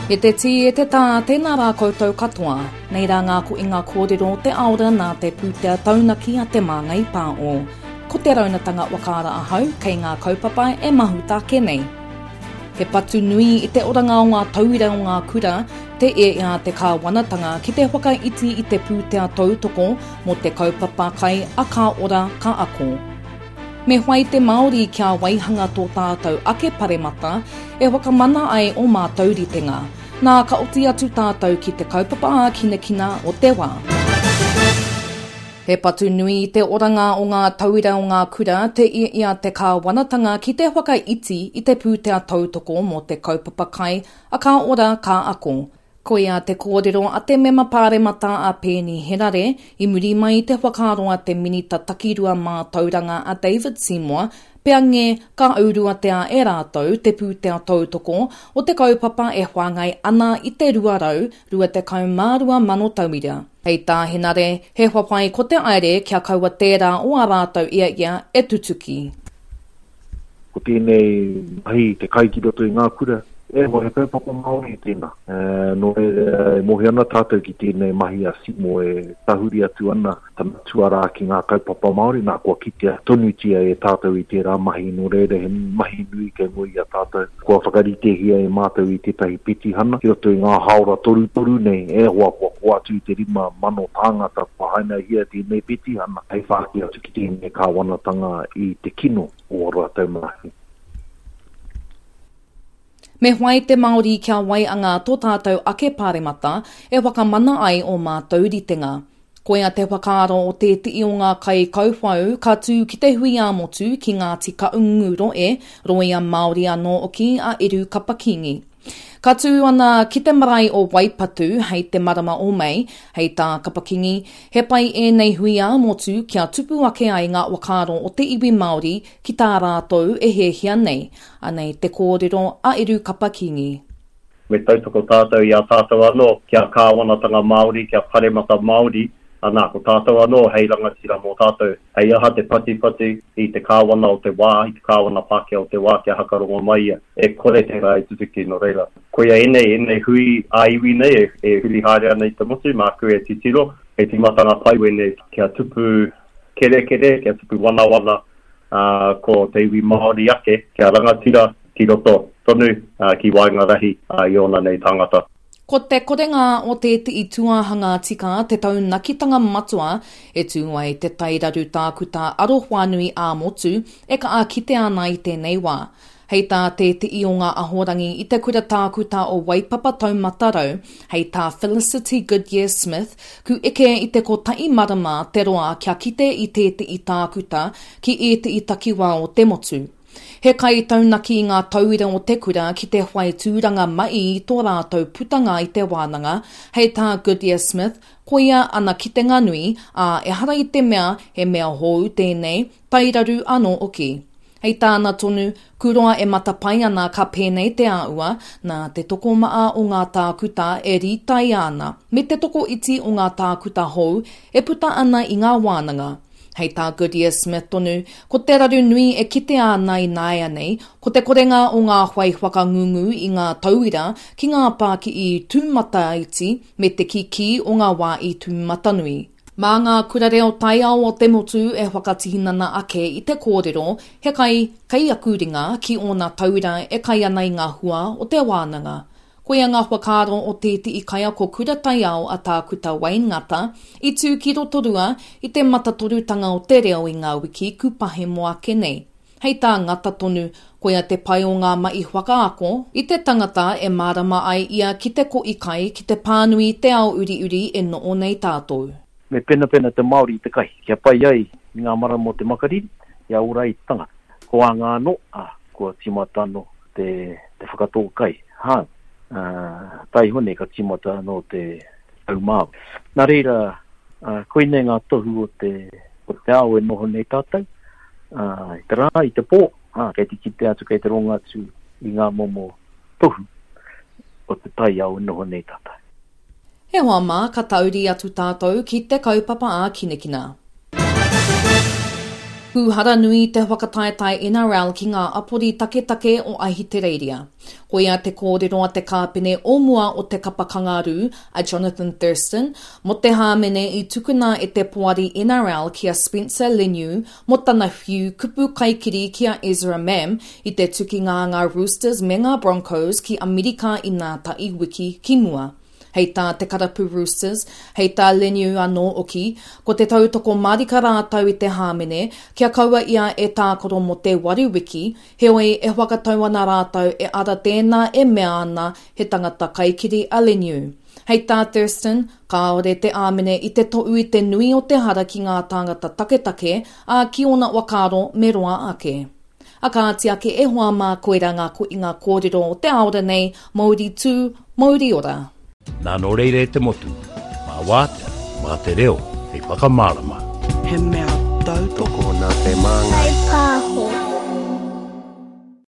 E te tī, e te tā, tēnā rā koutou katoa. Nei rā ngā koinga kōrero o te aora nā te pūtea taunaki a Te Māngai Pāo. Ko te raunatanga whakaara ahau kei ngā kaupapa e mahuta ake nei. He patu nui i te oranga o ngā tauira o ngā kura, te e a te kāwanatanga ki te whakaiti i te pūtea tautoko mō te kaupapa kai a Ka Ora Ka Ako. Me whai te Māori kia waihanga tō tātou ake paremata e whakamana ai ō mātou ritenga. Nā, ka oti atu tātou ki te kaupapa ākinakina o te wā. He patu nui i te oranga o ngā tauira o ngā kura te i a te kāwanatanga ki te whakaiti i te pūtea tautoko mō te kaupapa kai a Ka Ora Ka Ako. Koia te kōrero a te Mema Pāremata a Peeni Henare i muri mai i te whakaaro a te Minita Takirua Mātauranga a David Seymour pea nge ka auruatea e rātou te pūtea tautoko o te kaupapa e whāngai ana i te 222 mano tauira. Hei tā Henare, he whawhai ko te aere kia kaua tērā o ā rātou ia ia e tutuki. Ko tēnei mahi te kai ki roto i ngā kura, e hoa, he kaupapa Māori tēnā. Nō reira, e mōhio ana tātou ki tēnei mahi a Simo e tahuri atu ana tana tuarā ki ngā kaupapa Māori, nā, kua kitea tonutia e tātou i tērā mahi, nō reira he mahi nui kei mua i a tātou. Kua whakaritehia e mātou i tētahi petihana ki roto i ngā hāora torutoru nei, e hoa, kua kō atu i te 5,000 tāngata kua hainahia tēnei petihana hei whāki atu ki tēnei kāwanatanga i te kino o ā rātou mahi. Me whai te Māori kia waianga tō tātou ake paremata e whakamana ai ō mātou ritenga. Koia te whakaaro o tēteʻi o ngā kaikauwhau ka tū ki te hui ā-motu ki Ngāti Kaungu roe, rōia Māori anō hoki a Eru Kapa-Kingi. Ka tū ana ki te marae o Waipatu hei te marama o Mei, hei tā Kapa-Kingi, he pai ēnei hui ā-motu kia tupu ake ai ngā whakaaro o te iwi Māori ki tā rātou e hiahia nei. Anei te kōrero a Eru Kapa-Kingi. Me tautoko tātou i a tātou anō, kia kāwanatanga Māori, kia paremata Māori, anā, ko tātou anō hei rangatira mō tātou. Hei aha te patipati i te kāwana o te wā, i te kāwana Pākehā o te wā kia hakarongo mai ia. E kore tērā e tutuki, nō reira. Koia ēnei, ēnei hui ā-iwi nei e, e huri haere ana i te motu, māku e titiro, he tīmatanga pai wēnei kia tupu kerekere, kia tupu wanawana, ā, ko te iwi Māori ake, kia rangatira ki roto tonu, ā, ki waenga rahi, ā, i ōna nei tāngata. Ko te korenga o tēteʻi tūāhanga tika te taunakitanga matua e tū ai te tairaru tākuta arowhānui ā-motu e kaha kitea ana i tēnei wā. Hei tā tēteʻi o ngā ahorangi i te kura tākuta o Waipapa Taumata Rau, hei tā Felicity Goodyear-Smith, ku eke i te kotahi marama te roa kia kite i tēteʻi tākuta ki ēteʻi takiwā o te motu. He kaitaunaki i ngā tauira o te kura ki te whai tūranga mai i tō rātou putanga i te wānanga, hei tā Goodyear Smith, koia ana kitenga nui, ā, ehara i te mea he mea hou tēnei, tairaru anō hoki. Hei tāna tonu, ku roa e matapae ana ka pēnei te āua, nā te tokomaha o ngā tākuta e rītaia ana, me te tokoiti o ngā tākuta hou e puta ana i ngā wānanga. Hei tā Goodyear Smith tonu, ko te raru nui e kitea ana ināianei, ko te korenga o ngā whai whakangungu i ngā tauira ki ngā pākihi tūmataiti me te kikī o ngā wāhi tūmatanui. Mā ngā kura reo taiao o te motu e whakatinana ake i te kōrero he kai kei aku ringa ki ōna tauira e kai ana i ngā hua o te wānanga. Koia ngā whakaaro o tēteʻi kaiako kura taiao a Tākuta Wayne Ngata i tū ki Rotorua i te matatorutanga o te reo i ngā wiki kupahemo ake nei. Hei tā Ngata tonu, koia te pai o ngā mahi whakaako i te tangata e mārama ai ia ki te koʻi kai, ki te pānui i te ao uriuri e noʻo nei tātou. Me penapena te Māori i te kai, kia pai ai i ngā marama o te makariri, kia ora ai te tangata. Ko ānga anō, ā, kua tīmata anō te, te whakatō kai, hā, ā, taiho nei ka tīmata anō te tau Māori. Nā reira, ā, koinei ngā tohu o te, o te ao e noho nei tātou, ā, i te rā, i te pō, ā, kei te kite atu, kei te rongo atu i ngā momo tohu o te taiao e noho nei tātou. E hoa mā, ka tauri atu tātou ki te kaupapa ākinakina. Pūhara nui te whakataetae NRL ki ngā apori taketake o Ahitereiria. Koia te kōrero a te kāpene o mua o te kapa Kangaroo, a Johnathan Thurston, mō te hāmene i tukuna e te poari NRL ki a Spencer Leniu mō tana whiu kupu kaikiri ki a Ezra Mam i te tukinga a ngā Roosters me ngā Broncos ki Amerika inā taʻi wiki ki mua. Hei tā te karapu Roosters, hei tā Leniu anō hoki, ko te tautoko mārika rātou i te hāmene, kia kaua ia e tākaro mō te waru wiki, heoi e whakatau ana rātou e ara tēnā e mea ana he tangata kaikiri a Leniu. Hei tā Thurston, kāore te āmene i te tohu i te nui o te hara ki ngā tāngata taketake, ā, ki ōna whakaaro me roa ake. A kāti ake e hoa mā koirā ngā koinga kōrero o te aora nei, mouri tū, mouri ora. Nā nō reira e te motu, mā wātea, mā te reo hei whakamārama. He mea tautoko. Tokona te māngai.